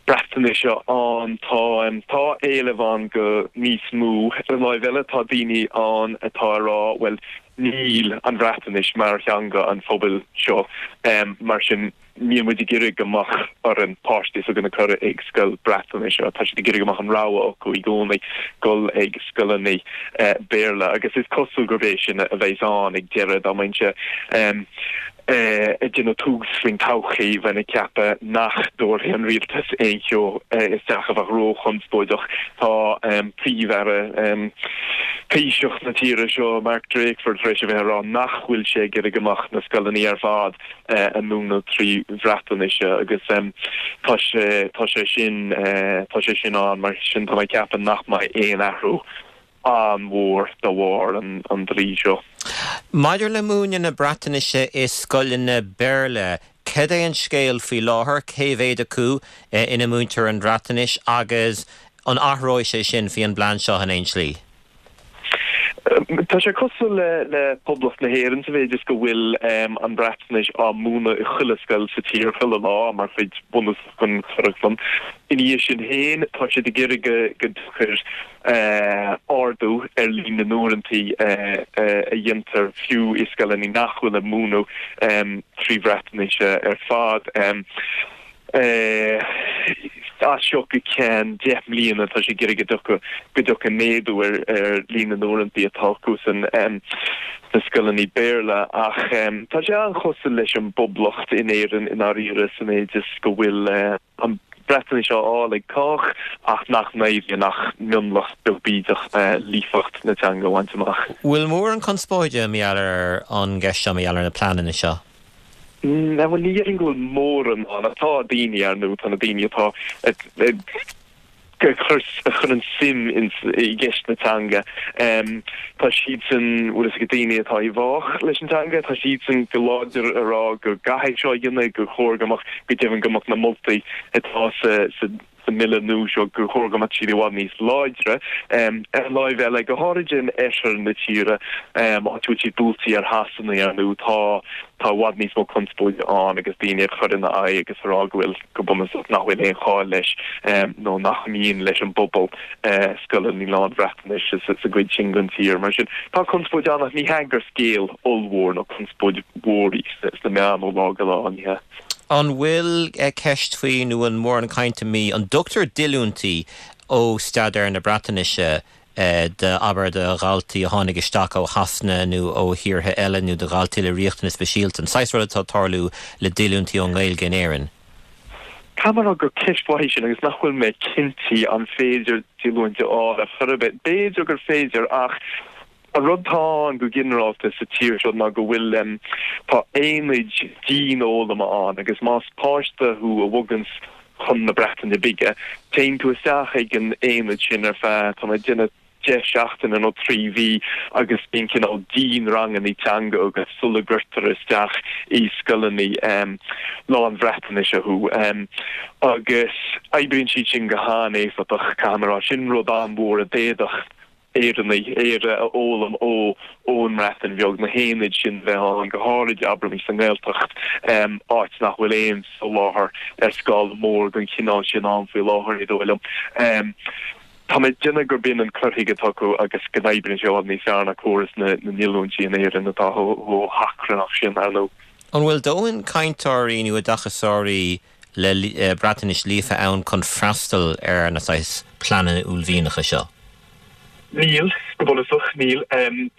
Breatnaise ann. Tá, tá éileamh ann go níos mó. Ar an láimh eile, tá daoine ann atá ag rá, bhuel, níl an Bhreatnais mar theanga an phobail seo, mar sin, Níl muid ag iarraidh go mbeadh orainn páistí s'againn a chur ag scoil Breatnaise. Tá siad ag iarraidh go mbeadh an rogha acu i gcónaí dul ag scoileanna Béarla agus is cosúil gurb é sin a bheas ann ag deireadh. Dá mbeinnse ag déanamh tugs faoin todhchaí, bheinn ag ceapadh nach dtabharfaidh an rialtas aon cheo isteach a bheadh róchonspóideach. Tá Príomh-Aire, Taoiseach na tíre seo, Mark Drakeford, tar éis a bheith ag rá nach bhfuil sé ag iarraidh go mbeadh na scoileanna ar fad ag múineadh trí Bhreatnais agus tá sé tá sé sin tá sé sin ann mar sin tá mé ag ceapadh nach mbeidh aon athrú an-mhór de bharr an dlí seo. Maidir le múineadh na Breatnaise i scoileanna Béarla, cad é an scéal faoi láthair, cé mhéad acu ina múintear an Bhreatnais agus an athróidh sé sin faoi an bplean seo in aon slí? Tá sé cosúil le le Poblacht na hÉireann sa mhéid is go bhfuil an Bhreatnais á múineadh i chuile scoil sa tír chuile lá mar chuid bhunúsach den churaclam. Ina dhiaidh sin féin, tá siad ag iarraidh go go dtiocfaidh ardú ar líon na n-uaireantaí a dhéantar fiú i scoileanna nach bhfuil ag múineadh trí Bhreatnais ar fad. As seo go ceann deich mbliana tá sé ag iarraidh go dtiocfaidh go dtiocfaidh méadú ar ar líon na n-uaireantaí atá acu san sna scoileanna Béarla ach tá sé an-chosúil leis an bPoblacht in Éirinn i ndáiríre sa mhéid is go bhfuil an Bhreatnais á fháil ag cách ach nach n-éiríonn ach mionlach beag bídeach líofacht na teanga a bhaint amach. Bhfuil mórán conspóide mar gheall ar an gceist seo, mar gheall ar na pleananna seo? Bhuel, ní dhéarfainn go bhfuil mórán ann. Tá daoine, ar ndóigh, tá na daoine atá a chuireann suim i gceist na teanga. Tá siadsan, bhfuil fhios agat, daoine atá i bhfách leis an teanga, tá siadsan go láidir a rá go gcaithfidh seo a dhéanamh, gur chóir go mbeadh, go deimhin go mbeadh na moltaí atá sa sa mbille nua seo gur chóir go mbeadh siad i bhfad níos láidre. Ar an láimh eile, go háirid in oirthear na tíre, áit a bhfuil siad buailte ar Shasana, ar ndóigh, tá tá i bhfad níos mó conspóide ann agus daoine ag cur ina aghaidh agus ag rá go bhfuil, go bunúsach, nach bhfuil aon chall leis nó nach mian leis an bpobal scoileanna lán-Bhreatnaise sa gcuid sin den tír. Mar sin, tá conspóid ann ach ní hea gur scéal ollmhór nó conspóid mhór í sna meáin ó lá go lá, ní hea. An bhfuil ceist faoi nó an mórán cainte mí, an dtugtar díolúintí ó staidéar na Breatnaise do, abair, do dhaltaí a tháinig isteach ó Shasana nó ó thíortha eile nó do dhaltaí le riachtanais speisialta, an saghas rud atá ag tarlú le díolúintí ón nGaeilge in Éirinn? Caithfidh mé a rá gur ceist mhaith í sin agus nach bhfuil mé cinnte an féidir díolúintí a fháil ar chor ar bith. B'fhéidir gur féidir ach An rud atá ann go ginearálta sa tír seo ná go bhfuil, tá aonaid dianfhoghlama ann agus más páiste thú a bhoganns chun na Breataine Bige, téann tú isteach ag an aonad sin ar feadh, tá mé ag déanamh, deich seachtaine nó trí mhí agus bíonn cineál dianranganna teanga agat sula gcuirtear isteach i scoileanna lán-Bhreatnaise thú. Agus oibríonn siad sin go han-éifeachtach, caithfidh mé a rá. Sin rud an-mhór a d'fhéadfadh Éireannaigh, Éire a fhoghlaim ó ón mBreatain Bheag, na haonaid sin bheith ann, go háirid, abraimis, sa nGaeltacht, áit nach bhfuil aon soláthar ar scála mór den chineál sin ann faoi láthair, ní dóigh liom. Tá mé ag déanamh gurb in an cur chuige atá acu agus go n-oibríonn sé i bhfad níos fearr ná córas na ndíolúintí in Éirinn atá chomh hachrannach sin, ar ndóigh. An bhfuil dóthain cainteoirí nó oideachasóirí le Breatnais líofa ann chun freastal ar na saghas pleananna uaillmhianacha seo? Níl, go bunúsach, níl.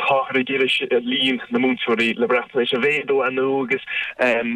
Táthar ag iarraidh líon na múinteoirí le Breatnais a mhéadú, ar ndóigh, agus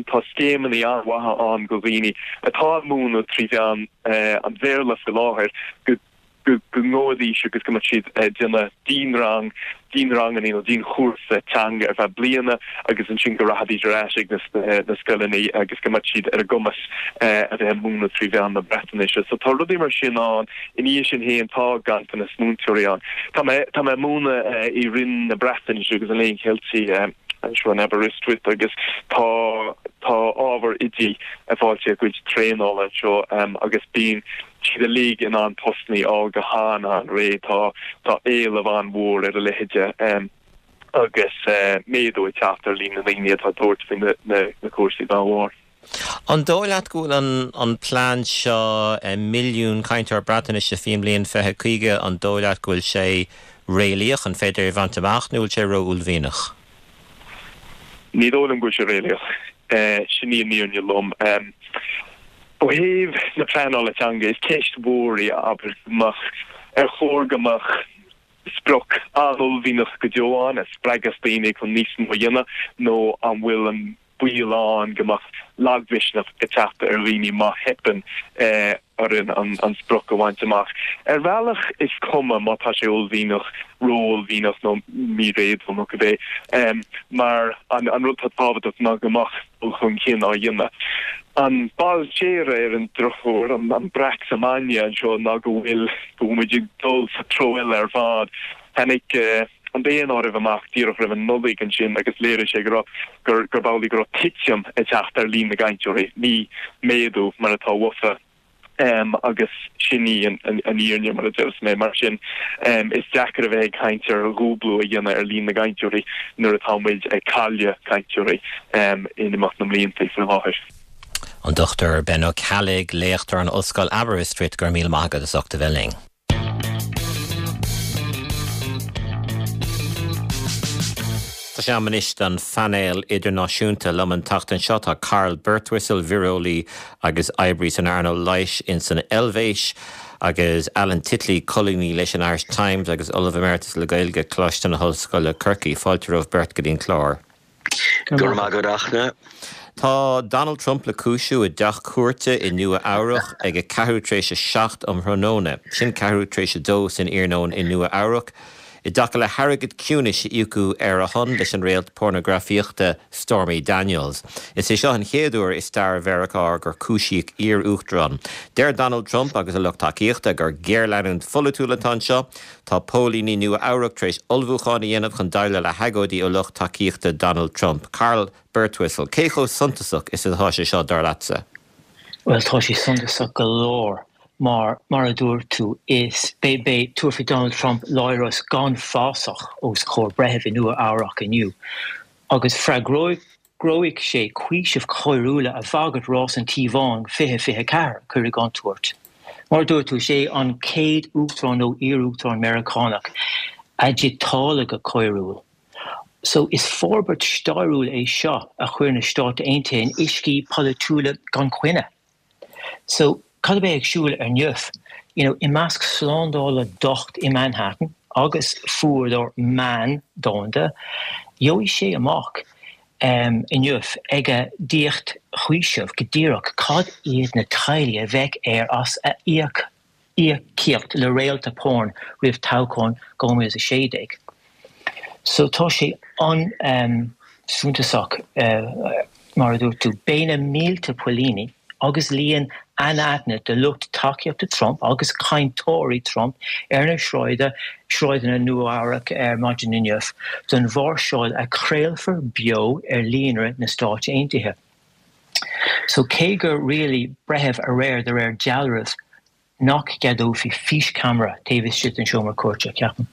tá scéimeanna an-mhaithe ann do dhaoine atá ag múineadh trí mheán an Bhéarla faoi láthair go go ngabhfaidís agus go mbeadh siad ag déanamh dianrang, dianranganna nó dianchúrsa teanga ar feadh bliana agus ansin go rachaidís ar ais ag na scoileanna agus go mbeadh siad ar a gcumas a bheith ag múineadh trí mheán na Breatnaise. So tá rudaí mar sin ann. Ina dhiaidh sin féin tá ganntanas múinteoirí ann. Tá mé tá mé ag múineadh i Roinn na Breatnaise agus an Léinn Cheiltigh anseo in Aberystwyth agus tá tá ábhar oidí ag fáilt a gcuid traenála anseo agus bíonn siad uilig in ann postanna a fháil go han-an-réidh. Tá tá éileamh an-mhór ar a leithéide agus méadú ag teacht ar líon na ndaoine atá ag tabhairt faoi na cúrsaí dá bharr. An dóigh leat go bhfuil an an plean seo, milliún cainteoir Breatnaise faoin mbliain fiche caoga, an dóigh leat go bhfuil sé réalaíoch, an féidir é a bhaint amach nó bhfuil sé ró-uaillmhianach? Ní dóigh liom go bhfuil sé réalaíoch. Sin í an fhírinne lom. Ó thaobh na pleanála teanga, is ceist mhór í, abair, go mbeadh, ar chóir go mbeadh sprioc an-uaillmhianach go deo ann a spreagfas daoine chun níos mó a dhéanamh nó an bhfuil an baol ann go mbeadh lagmhisneach ag teacht ar dhaoine má theipeann orainn an sprioc a bhaint amach. Ar bhealach is cuma má tá sé uaillmhianach, ró-uaillmhianach nó míréadúil nó cibé, mar an rud atá tábhachtach ná go mbeadh dul chun cinn á dhéanamh. An ball séire ar an drochuair, an breac sa mbainne anseo ná go bhfuil, go bhfuil muid ag dul sa treo eile ar fad. Tháinig an daonáireamh amach díreach roimh an Nollaig ansin agus léirigh sé go raibh gur gurb amhlaidh go raibh titim ag teacht ar líon na gcainteoirí, ní méadú mar atá uafa. Um, agus sin í an, an, an fhírinne mar a deir mé mar sin um, is deacair a bheith ag caint ar dhúblú a dhéanamh ar líon na gcainteoirí nuair atá muid ag cailleadh cainteoirí um, in imeacht na mblianta faoi láthair. An Dochtúir Ben Ó Ceallaigh, léachtóir in Ollscoil Aberystwyth go raibh míle maith agat as ucht a bheith linn. Tá sé am anois don phainéal idirnáisiúnta liom an tseachtain seo tá Carl Birtwistle víreolaí agus oibrí san earnáil leighis in san Eilvéis agus Alan Titley colúnaí leis an Irish Times agus Ollamh Emeritus le Gaeilge Coláiste na hOllscoile Corcaigh fáilte romhaibh beirt go dtí an clár. Gur maith Tá Donald Trump le cúisiú i dteach cúirte i Nua Eabhrac ag a ceathrú tar éis a seacht um thráthnóna, sin ceathrú tar éis a dó san iarnóin i Nua Eabhrac, i dtaca le hairgead ciúnais a íocadh ar a shon leis an réalt pornagrafaíochta Stormy Daniels. Is é seo an chéad uair i stair Mheiriceá gur cúisíodh iar-uachtarán. Deir Donald Trump agus a lucht tacaíochta gur géarleanúint pholaitiúil atá anseo, tá póilíní Nua Eabhrac tar éis ullmhúchán a dhéanamh chun déileáil le hagóidí ó lucht tacaíochta Donald Trump. Carl Birtwistle, cé chomh suntasach is atá sé seo dar leatsa? Well tá sé suntasach go leor mar mar a dúirt tú is beidh beidh tabharfaidh Donald Trump láithreas gan fasach os comhair breithimh i Nua Eabhrac inniu. Agus freagróidh gróidh sé cúisimh choiriúla a bhagairt rás an Tí Bháin fiche fiche ceathair a chur i gcontúirt. Mar a dúirt tú, is é an chéad uachtarán nó iar-uachtarán Meiriceánach a díotáladh go coiriúil. So is forbairt stairiúil é seo a chuir na Stáit Aontaithe in uiscí polaitiúla gan choinne. So cad a bheidh ag siúl inniu? You know, i measc slándála docht i Manhattan agus fuadar meán domhanda, gheobhaidh sé amach um, inniu ag a dhíocht chúiseamh go díreach cad iad na táillí a bheidh air as a íoc íocaíocht le réalta porn roimh toghchán dhá mhíle is a sé déag. So tá sé an um, suntasach uh, mar a dúirt tú, beidh na mílte póilíní agus líon anaithnid de lucht tacaíochta Trump agus cainteoirí Trump ar na sráide sráideanna Nua Eabhrac ar maidin inniu don mháirseáil a chraolfar beo ar líonra na Stáit Aontaithe. So cé gur rialaigh breitheamh aréir de réir dealraimh nach gceadófaí físcheamara taobh istigh den seomra cúirte, ceapaim.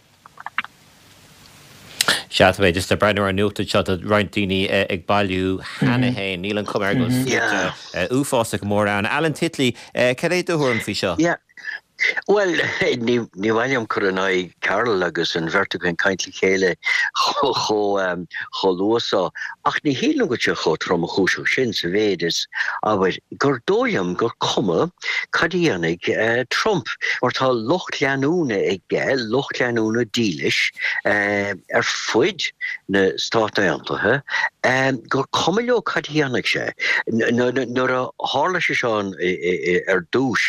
Sea, tá mé just ag breathnú ar an nuacht seo tá roinnt daoine ag bailiú cheana féin. Níl an chuma air go bhfuil sluaite uafásach mór ann. Alan Titley, cad é do thuairim faoi seo? Yeah. Bhuel, ní ní mhaith liom cur in aghaidh Carl agus an bheirt againn caint le chéile chomh chomh luath so, ach ní shílim go bhfuil sé chomh tromchúiseach sin sa mhéid is, abair, gur dóigh liom gur cuma cad a dhéanfaidh Trump, mar tá lucht leanúna aige, lucht leanúna dílis ar fuid na Stát Aontaithe, gur cuma leo cad a dhéanfaidh sé. Nuair a tharla sé seo ar dtús,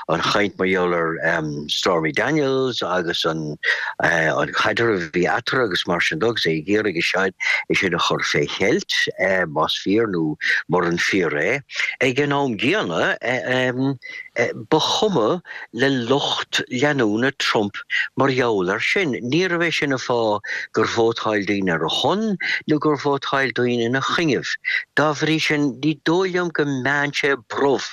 an chaint mar gheall ar Stormy Daniels agus an an caidreamh a bhí eatarthu agus mar sin de agus é ag iarraidh é sin a chur fé cheilt, más fíor nó muran fíor é. Ag an am gcéanna, ba chuma le lucht leanúna Trump mar gheall air sin. Níorbh é sin an fáth gur vótáil daoine ar a shon nó gur vótáil daoine ina choinnibh. Dá bhrí sin, ní dóigh liom go meánn sé brobh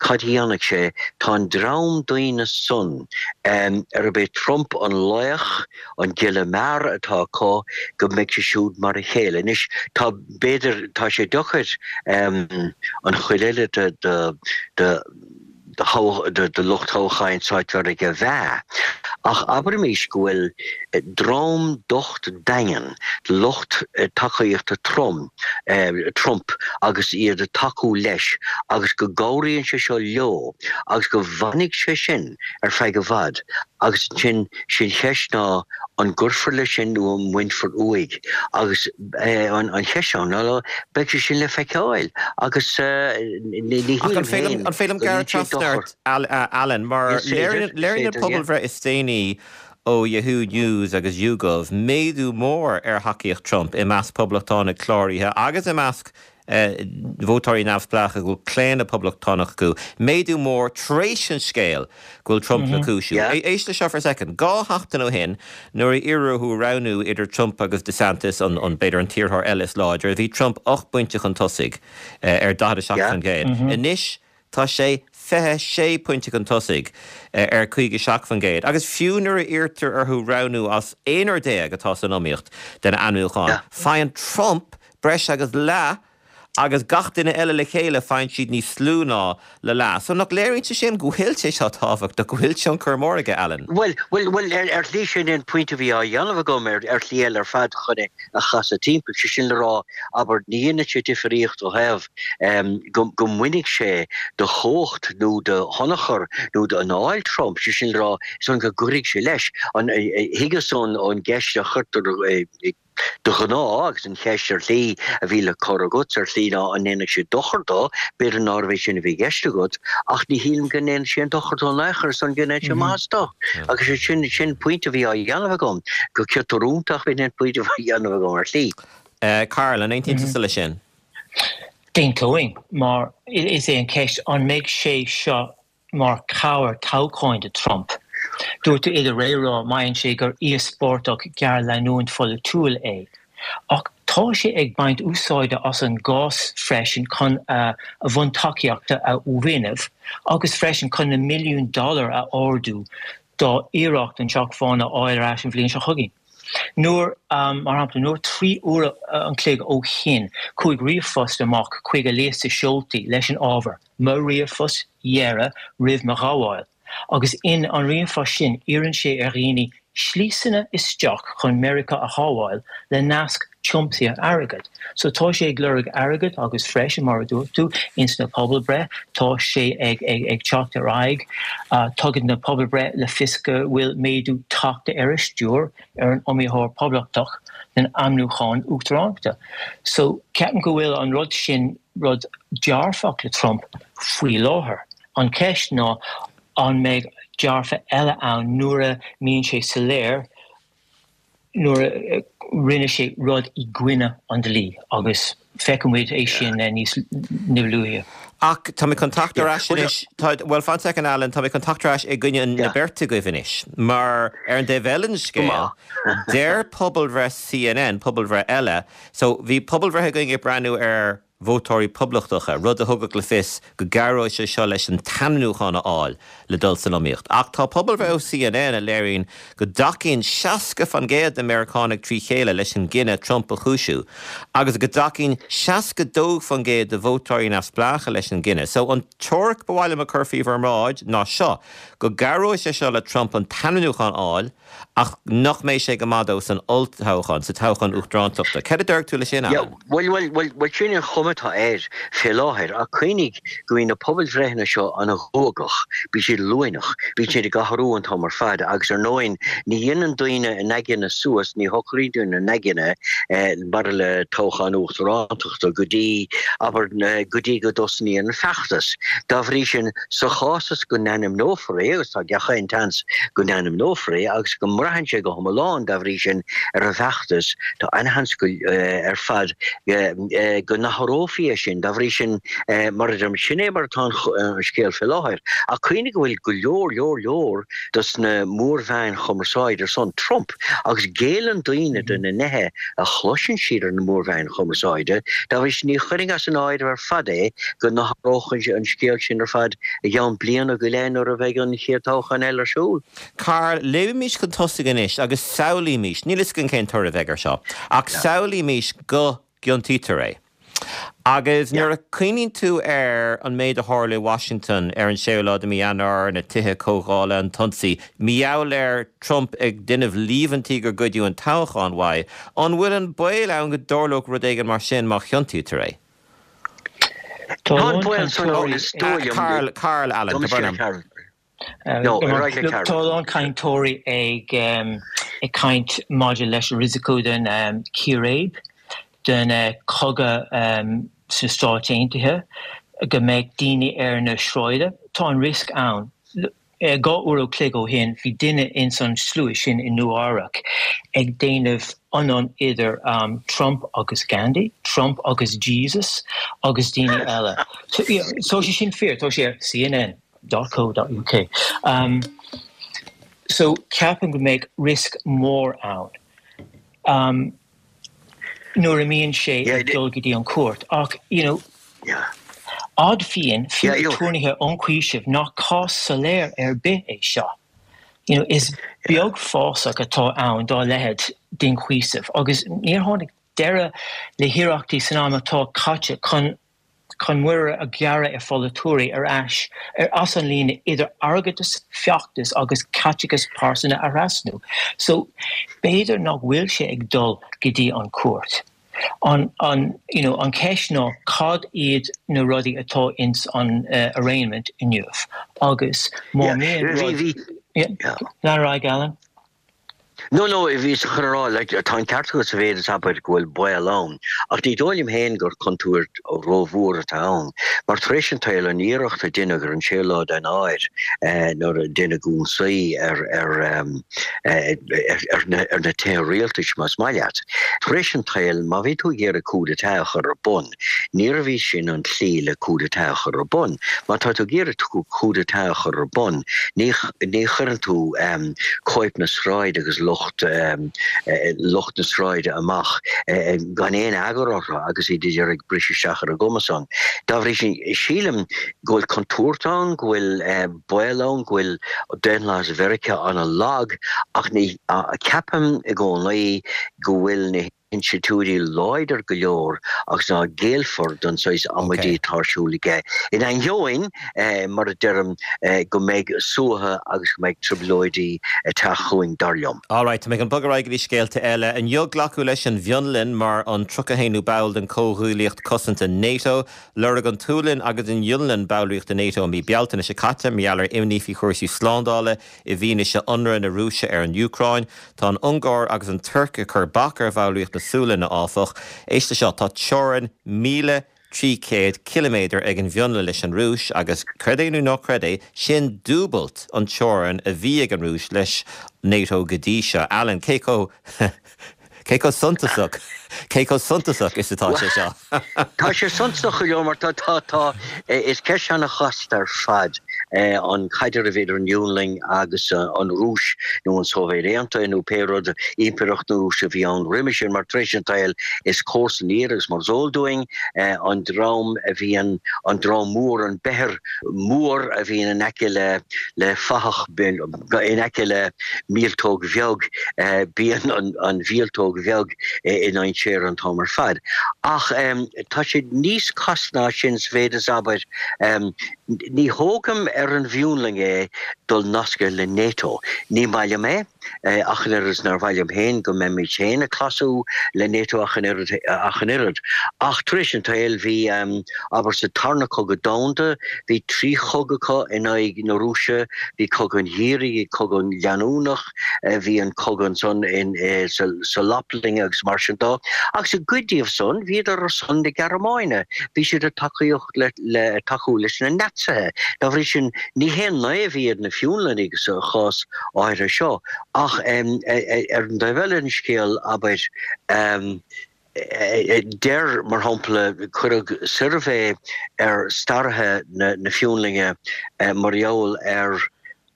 cad a dhéanfaidh sé. Tá an dream daoine san, arb é Trump an laoch, an giolla mear atá acu, go mbeidh sé siúd mar a chéile. Anois, tá, b'fhéidir, tá sé deacair an chuid eile de, de, de, de lucht toghcháin Stáit Mheiriceá a mheá, ach abraimis go bhfuil dream docht daingean de lucht tacaíochta Trump agus iad ag tacú leis agus go gcabhraíonn sé seo leo agus go bhfanfaidh sé sin ar feadh i bhfad agus ansin sin cheist ná an gcuirfear leis sin nó an mbainfear uaidh agus an cheist ann ná beidh sé sin le feiceáil agus ní shílim féin An féidir liom gearradh trasna ort, Alan, mar léiríonn an pobalbhreith is déanaí ó Yahoo News agus YouGov méadú mór ar thacaíocht Trump i measc poblachtánaigh cláraithe agus i measc vótóirí neamhspleácha go bhfuil claonadh poblachtánach acu, méadú mór tar éis an scéal go bhfuil Trump le cúisiú. Éist le seo for a second. Dhá sheachtain ó shin, nuair a iarradh orthu roghnú idir Trump agus DeSantis, an, an, b'fhéidir an t-iarrthóir eile is láidre, bhí Trump ocht bpointe chun tosaigh ar daichead a seacht faoin gcéad. Anois tá sé fiche sé pointe chun tosaigh ar caoga seacht faoin gcéad. Agus fiú nuair a iarrtar orthu roghnú as aonár déag atá san iomaíocht den ainmniúchán, faigheann Trump breis agus leath agus gach duine eile le chéile faigheann siad níos lú ná le leath. So nach léiríonn sé sin go bhfuil sé seo tábhachtach, go bhfuil tionchar mór aige, Alan? Bhuel, bhuel, bhuel, ar, ar shlí sin an pointe a bhí á dhéanamh agam ar, ar shlí eile ar fad chun é a chasadh timpeall, sé sin le rá, abair, ní dhéanann sé difríocht ó thaobh go, go mbainfidh sé de chumhacht nó de thionchar nó d'anáil Trump, sé sin le rá, is ionann go gcuirfidh sé leis. An, thuigeas ón, ón gceist a chuirtear i, De ghnáth, agus an cheist ar shlí a bhí le cur agat ar shlí ná an ndéanfaidh sé dochar dó, b'fhéidir nárbh é sin a bhí i gceist agat, ach ní shílim go ndéanfaidh sé aon dochar dó in aon chor, is dóigh go ndéanfaidh sé maitheas dó. Agus is sin, sin pointe a bhí á dhéanamh agam, go ciotrúntach b'in an pointe a bhí á dhéanamh agam ar shlí. Karl, an aontaíonn tusa leis sin? D'aontóinn, mar is é an cheist an mbeidh sé seo mar chabhair toghcháin do Trump. Dúirt tú i do réamhrá, maíonn sé gur íospartach géarleanúint pholaitiúil é. Ach tá sé ag baint úsáide as an gcás freisin chun a bhuntacaíochta a fhuinneamh agus freisin chun na milliúin dollar a ardú dá iarracht an Teach Bán a fháil ar ais an bhliain seo chugainn. Nuair, mar shampla, nuair trí uaire an chloig ó shin chuaigh ríomhphost amach chuig a liosta seoltaí leis an ábhar 'Mo ríomhphost dheiridh roimh mo ghabháil' agus in an ríomhphost sin iarrann sé ar dhaoine sliosanna isteach chun Meiriceá a shábháil le nasc tiomsaithe airgid. So tá sé ag lorg airgid agus freisin, mar a dúirt tú, ins na pobalbhreith tá sé ag ag teacht ar aghaidh. Tugann na pobalbhreith le fios go bhfuil méadú tagtha ar a stiúir ar an iomaítheoir Poblachtach den ainmniúchán uachtaránachta. So ceapaim go bhfuil an rud sin rud dearfach le Trump faoi láthair. An cheist ná an mbeidh dearfa eile ann nuair a mbíonn sé soiléir nuair a rinne sé rud i gcoinne an dlí agus feicfidh muid é sin níos luaithe. Ach tá mé chun teacht ar ais anois, bhuel fan second Alan, tá mé chun teacht ar ais i gcoinne na beirte agaibh anois, mar ar an dtaobh eile den scéal, deir pobalbhreith CNN, pobalbhreith eile, so bhí pobalbhreith againn ag breathnú ar vótóirí poblachtacha, rud a thugadh le fios go gcabhróidh sé seo leis an t-ainmniúchán a fháil le dul san iomaíocht. Ach tá pobalbhreith ó CNN a léiríonn go dtacaíonn seasca faoin gcéad de Mheiriceánaigh trí chéile leis an gcinneadh Trump a chúisiú agus go dtacaíonn seasca dó faoin gcéad de vótóirí neamhspleácha leis an gcinneadh. So an teoiric ba mhaith liom a chur faoi bhur mbráid ná seo, go gcabhróidh sé seo le Trump an t-ainmniúchán a fháil ach nach mbeidh sé go maith dó san olltoghchán, sa toghchán uachtarántachta. Céard a déarfadh tú leis sin, Yeah, Alan? bhuel, bhuel, bhuel, bhuel, sin an chuma atá air fé láthair, ach cuimhnigh go mbíonn na pobalbhreitheanna seo an-ghuagach, bíonn siad luaineach, bíonn siad ag athrú an t-am ar fad agus ar ndóigh ní dhéanann daoine a n-aigne suas, ní shocraíonn daoine a n-aigne maidir le toghchán uachtarántachta go dtí, abair, go dtí go dtosnaíonn an feachtas. Dá bhrí sin, Sa chás is go n-ainmneofar é, agus tá gach aon tseans go n-ainmneofar é, agus go mbraitheann sé go hiomlán, dá bhrí sin, ar an bhfeachtas, tá an-sheans go ar fad go n-athrófaí é sin. Dá bhrí sin, mar a deirim, sin é mar atá an scéal fé láthair. Ach cuimhnigh go bhfuil go leor, leor, leor dos na mórmheáin chumarsáide ar son Trump, agus géilleann daoine do na nithe a chloiseann siad ar na mórmheáin chumarsáide. Dá bhrí sin, ní chuirfinn as an áireamh ar fad é go n-athródh an scéal sin ar fad i gceann bliana go leith nuair a bheidh an chéad toghchán eile ar siúl. Karl, léimimís chun tosaigh anois agus samhlaímís, níl fhios againn cén toradh a bheidh air seo, ach samhlaímís go gciontaítear é. Agus nuair a chuimhníonn tú ar an méid a tharla i Washington ar an séú lá de mhí Eanáir, na tithe comhdhála, an t-ionsaí, mar gheall ar Trump ag déanamh líomhaintí gur goideadh an toghchán uaidh, an bhfuil an baol ann go dtarlódh rud éigin mar sin má chiontaítear é? Tá an baol san ann is dóigh liom. Karl, Karl, Alan, tá brón orm. No, ar aghaidh le Karl. Tá a lán cainteoirí ag ag caint maidir leis an risico den círéib, den cogadh sna Stáit Aontaithe, go mbeidh daoine ar na sráide. Tá an riosca ann. Dhá uair an chloig ó shin bhí duine ins an slua sin i Nua Eabhrac ag déanamh ionann idir um, Trump agus Gandhi, Trump agus Jesus agus daoine eile. So, yeah, so sé sin fíor, tá sé ar C N N dot co dot U K. Um, so ceapaim go mbeidh risk mór ann. Um, nuair a mbíonn sé ag dul go dtí an cúirt ach you know, yeah. Admhaíonn fiú aturnaetha ionchúisimh nach cás soiléir ar bith é seo. You know, is beag fásach atá ann dá leithéid d'ionchúiseamh, agus níor tháinig deireadh le hiarrachtaí san am atá caite chun chun muirear a ghearradh ar pholaiteoirí ar ais ar as an líne idir airgeadas, feachtas agus caiteachas pearsanta a thrasnú. So b'fhéidir nach bhfuil sé ag dul go dtí an cúirt. An, an, you know, an ceist ná cad iad na rudaí atá ins an uh, arraignment inniu agus má lean ar Alan. No no bhí chun rá like, tá an ceart sa mhéid is abair go bhfuil baol ann. Ach ní dóigh liom féin gur contúirt rómhór atá ann. Mar tar éis an tsaoil an iarracht a deineadh ar an séú lá d'Eanáir eh, nuair a deineadh ionsaí ar ar eh, ar ar na tithe rialtais más maith leat. Tar éis an tsaoil má bhí tú ag iarraidh coup d'état a chur ar bun. Níorbh í sin an tslí le coup d'état a chur ar bun. Má tá tú ag iarraidh coup d'état a chur ar bun, ní ní chuireann tú um, cóip na sráide agus lucht um, eh, lucht na sráide amach eh, gan aon eagar orthu agus iad ag briseadh isteach ar a gcumas-san. Dá bhrí sin sílim go bhfuil contúirt ann, go bhfuil eh, baol ann, go bhfuil daonlathas Mheiriceá an-lag ach ní ceapaim i gcónaí go bhfuil na hinstitiúidí láidir go leor agus ná géillfear don saghas amaidí atá ar siúl aige. In ainneoin eh, mar a deirim eh, go mbeidh suaitheadh agus go mbeidh trioblóidí ag teacht chugainn dar liom. Alright, mé an bugarra go dtí scéalta eile inniu glacadh leis an bhFionlainn mar an tríocha haonú ball den Comhghuaillíocht Cosanta NATO, lorg an tSualainn agus an Fhionlainn ballraíocht NATO mí Bealtaine seo caite mar gheall ar imní faoi chúrsaí slándála i bhfianaise ionradh na Rúise ar an Úcráin, Tá an Ungáir agus an Tuirc ag cur bac ar bhallraíocht na Sualainne áfach. Éist seo tá teorainn míle trí chéad kilometer ag an bhFionlainn leis an Rúis agus creid é nó ná creid é sin dúbailt an teorainn a bhí ag an Rúis leis NATO go dtí seo. Alan cé chomh cé chomh suntasach cé chomh suntasach is atá sé seo. Tá sé suntasach go mar tá tá tá is ceist an-chasta ar fad an caidreamh idir an Fhionlainn agus an Rúis nó an Sóivéad Aontaithe nó pé rud impireacht na Rúise a bhí ann roimhe sin mar tar éis an tsaoil is comharsan agus mar is eol dúinn an dream a bhíonn an dream mór an beithir mór a bhíonn in aice le le fathach in aice le míoltóg bheag bíonn an, an mhíoltóg bheag i ndainséar an t-am ar fad. Ach um, tá sé níos casta ná sin sa mhéid is abair um, ní thógaim ar an bhFionlainn é dul nasctha le NATO. Ní maith liom é eh, ach an oiread nár mhaith liom féin go mbeimid féin ag clasú le NATO ach an oiread. Ach tar éis an tsaoil bhí um, abair sa tarna cogadh domhanda, bhí trí chogadh acu in aghaidh na Rúise, bhí cogadh an gheimhridh, cogadh leanúnach, eh, bhí an cogadh san in eh, sa, sa Laplainn agus mar sin de. Agus i gcuid díobh san bhíodar ar son na Gearmáine, bhí siad ag tacaíocht le, le tacú leis na Naitsithe. Dá bhrí sin ní haon naomh iad na Fionlannaigh sa chás áirithe seo ach um, ar an dtaobh eile an scéal abair um, deir mar shampla cuireadh suirbhé ar staraithe na, na Fionlainne mar gheall ar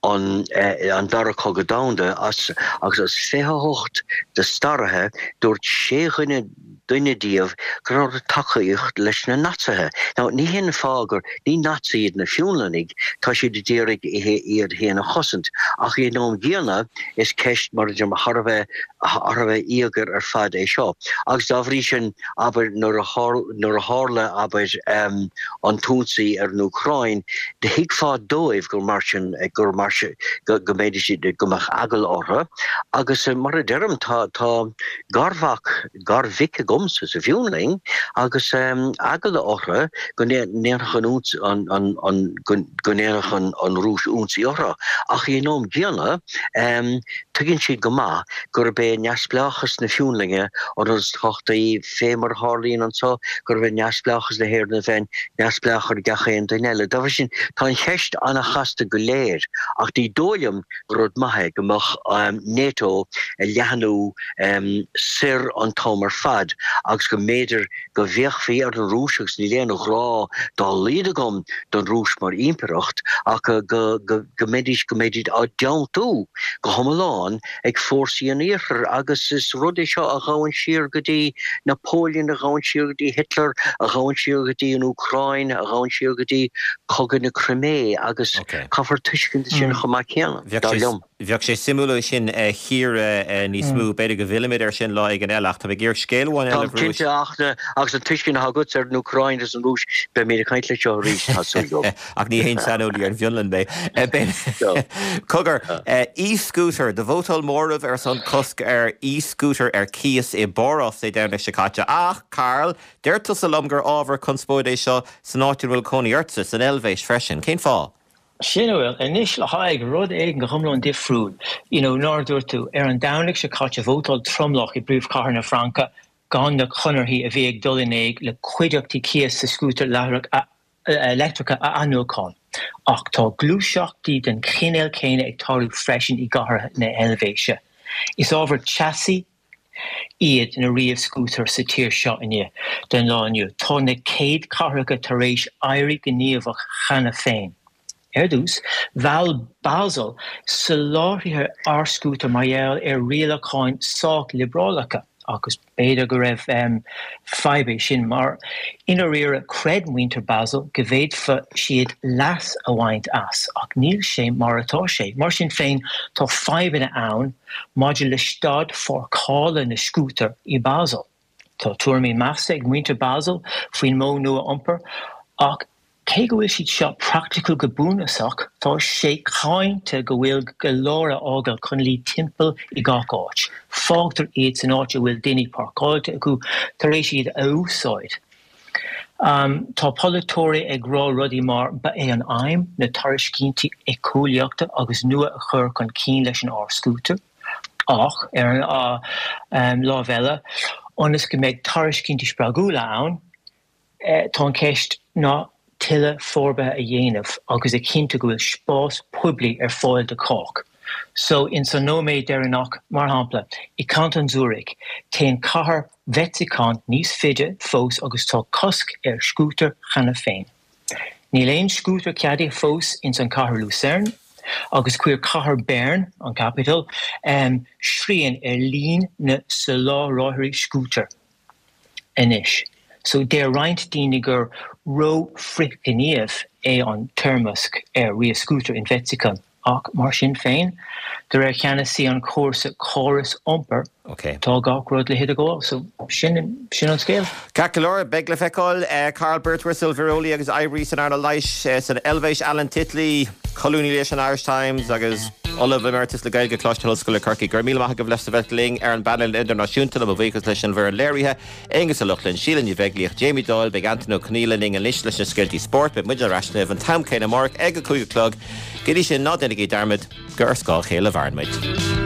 an, an dara cogadh domhanda as agus as fiche hocht de staraithe dúirt sé dhuine duine díobh go raibh tacaíocht leis na Naitsithe. Now ní hin fáth gur ní Naitsithe iad na Fionlannaigh tá siad ag iarraidh iad féin a chosaint ach ag an am gcéanna is ceist mar de thar bheith thar bheith íogair ar fad é seo. Agus dá bhrí sin abair nuair a tharla abair um, an t-ionsaí ar an Úcráin, de thuigfeá dóibh gur mar sin gur mar go go mbeidh siad go mbeadh eagla orthu agus mar a deirim tá tá garmhac garmhic agamsa sa Fhionlainn agus eagla orthu go ndéanfadh an an go ndéanfadh an an Rúis ionsaí orthu. Ach ag an am gcéanna, tuigeann siad go maith gurb é neamhspleáchas na Fionlainne an rud is tábhachtaí, fé mar a tharlaíonn anseo, gurb é neamhspleáchas na hÉireann a bheith neamhspleách ar gach aon duine eile. Dá bhrí sin, tá an cheist an-chasta go léir, ach ní dóigh liom gur rud maith é go mbeadh NATO ag leathnú soir an t-am ar fad agus go mb'fhéidir go bhféachfaí ar an Rúis agus níl aon ghrá dá laghad agam don Rúis mar impireacht ach go go mbeidís go mbeidís á dteanntú go hiomlán ag fórsaí an Iarthair agus is rud é seo a ghabhann siar go dtí Napoleon, a ghabhann siar go dtí Hitler, a ghabhann siar go dtí an Úcráin, a ghabhann siar go dtí Cogadh na Crimé agus caithfear tuiscint sin chomh maith céanna, dar liom. Bheadh sé suimiúil é sin a chíoradh níos mó. B'fhéidir go bhfillfimid air sin lá éigin eile ach tá mé ag iarraidh scéal amháin eile a Táim cinnte ach agus an tuiscint atá agatsa ar an Úcráin agus an Rúis, beimid ag caint leis seo arís, tá súil agam. Ach ní haon saineolaí ar an bhFionlainn mé. Cogar, e-scooter, do vótáil móramh ar son cosc ar e-scooter ar cíos i bPárás Dé Domhnaigh seo caite. Ach, Karl, deir tusa liom gur ábhar conspóide é seo san áit ina bhfuil cónaí ortsa, san Eilvéis freisin. Cén fáth? Sin a bhfuil anois le haghaidh rud éigin go hiomlán difriúil. You know, mar a dúirt tú, ar an Domhnach seo caite vótáil tromlach i bpríomhchathair na Fraince gan na conarthaí a bhí ag dul in éag le cuideachtaí cíosa scútair leictreacha a athnuachan. Ach tá gluaiseachtaí den chineál céanna ag tarlú freisin i gcathracha na hEilvéise. Is ábhar teasaí iad na ríomh-scútair sa tír seo inniu den lá inniu. Tá na céad cathracha tar éis éirí gníomhach cheana féin. Ar dtús, mheall Basel soláthraithe r-scútar mar gheall ar rialacháin sách liobrálacha, agus b'fhéidir go raibh fadhb é sin mar i ndáiríre chreid muintir Basel go bhféadfadh siad leas a bhaint as, ach níl sé mar atá sé. Mar sin féin, tá fadhbanna ann maidir le staid pháirceála na scútar i Basel. Tá tuairimí measctha ag muintir Basel faoin modh nua iompair, ach Cé go bhfuil siad seo praiticiúil go bunúsach, tá sé cáinte go bhfuil go leor á fhágáil chun luí timpeall i gach áit. Fágtar iad san áit a bhfuil daoine páirceáilte acu tar éis iad a úsáid. Tá polaiteoirí ag rá rudaí mar ba é an aidhm na tairiscintí éiceolaíochta agus nua a chur chun cinn leis an r-scútar, ach ar an lámh eile, ionas go mbeidh tairiscintí spreagúla ann, Tá an cheist ná tuilleadh forbartha a dhéanamh agus a chinntiú go bhfuil spás poiblí ar fáil do chách. So, ins an nóiméad deireanach, mar shampla, i Canton Zurich, téann cathair Wetzikon níos faide fós agus tá cosc ar scútair cheana féin. Níl aon scútar ceadaithe fós ins an cathair Lucerne agus chuir cathair Bern, an capital, srian ar líon na soláthraithe scútar. anois. So deir roinnt daoine gur ró-fhrithghníomh é an toirmeasc ar ríomh-scútair in Wetzikon, ach mar sin féin, de réir cheannasaí an chúrsa córas iompair, tá gach rud le hidirghabháil. So sin sin an scéal. Ceart go leor, beidh le feiceáil. Karl Birtwistle, víreolaí agus oibrí san earnáil leighis san Eilvéis, Alan Titley, colúnaí leis an Irish Times agus Ollamh Emeritus le Gaeilge, Coláiste na hOllscoile, Corcaigh. Go raibh míle maith agaibh le bheith linn ar an bpainéal idirnáisiúnta le mo bhuíochas leis an bhfoireann léirithe, Aonghus Ó Lochlainn, Síle Ní Bheaglaoich, Jamie Doyle, Beidh Antain Ó Conghaile linn anois leis na scéaltaí spóirt. Beidh muid ar ais libh an t-am céanna amárach ag a cúig a chlog. Go dtí sin, ná déanaigí dearmad gur ar scáth a chéile a mhaireann muid.